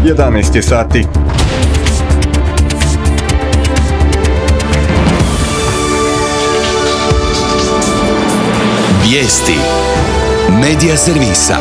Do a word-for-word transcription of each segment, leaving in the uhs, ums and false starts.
jedanaest je sati. Vijesti Medija servisa.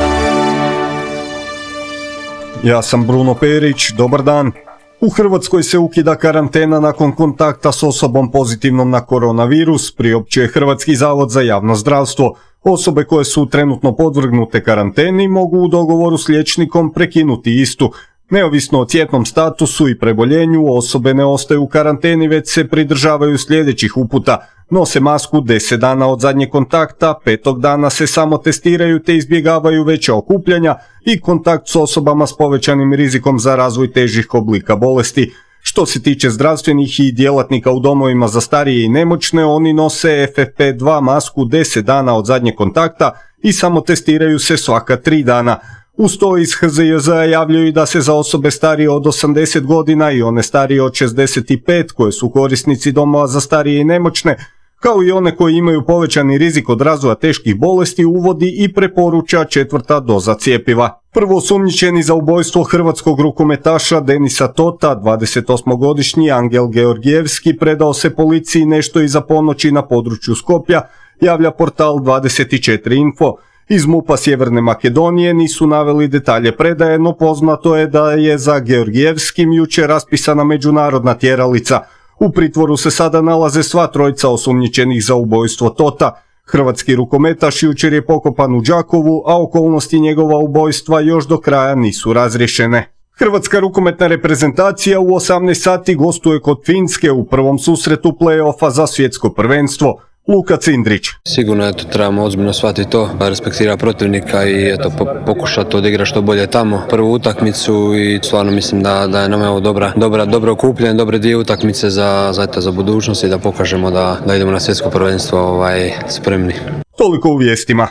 Ja sam Bruno Perić, dobar dan. U Hrvatskoj se ukida karantena nakon kontakta s osobom pozitivnom na koronavirus, priopćuje Hrvatski zavod za javno zdravstvo. Osobe koje su trenutno podvrgnute karanteni mogu u dogovoru s liječnikom prekinuti istu. Neovisno o cjetnom statusu i preboljenju, osobe ne ostaju u karanteni već se pridržavaju sljedećih uputa. Nose masku deset dana od zadnjeg kontakta, petog dana se samo testiraju te izbjegavaju veća okupljanja i kontakt s osobama s povećanim rizikom za razvoj težih oblika bolesti. Što se tiče zdravstvenih i djelatnika u domovima za starije i nemoćne, oni nose F F P dva masku deset dana od zadnjeg kontakta i samo testiraju se svaka tri dana. Uz to iz H Z J Z-a javljaju da se za osobe starije od osamdeset godina i one starije od šezdeset pet koje su korisnici domova za starije i nemoćne, kao i one koji imaju povećani rizik od razvoja teških bolesti, uvodi i preporuča četvrta doza cjepiva. Prvo osumnjičeni za ubojstvo hrvatskog rukometaša Denisa Tota, dvadesetosmogodišnji Angel Georgijevski, predao se policiji nešto iza ponoći na području Skopja, javlja portal dvadeset četiri info. Iz MUP-a Sjeverne Makedonije nisu naveli detalje predaje, no poznato je da je za Georgijevskim jučer raspisana međunarodna tjeralica. U pritvoru se sada nalaze sva trojica osumnjičenih za ubojstvo Tota. Hrvatski rukometaš jučer je pokopan u Đakovu, a okolnosti njegova ubojstva još do kraja nisu razriješene. Hrvatska rukometna reprezentacija u osamnaest sati gostuje kod Finske u prvom susretu play-offa za svjetsko prvenstvo. Luka Cindrić. Sigurno eto, trebamo ozbiljno shvatiti to, respektira protivnika i eto, po, pokušati odigrati što bolje tamo prvu utakmicu i stvarno mislim da, da je nam ovo dobra, dobra, dobro okupljen, dobre dvije utakmice za, za, eto, za budućnost i da pokažemo da, da idemo na svjetsko prvenstvo ovaj, spremni. Toliko u vijestima.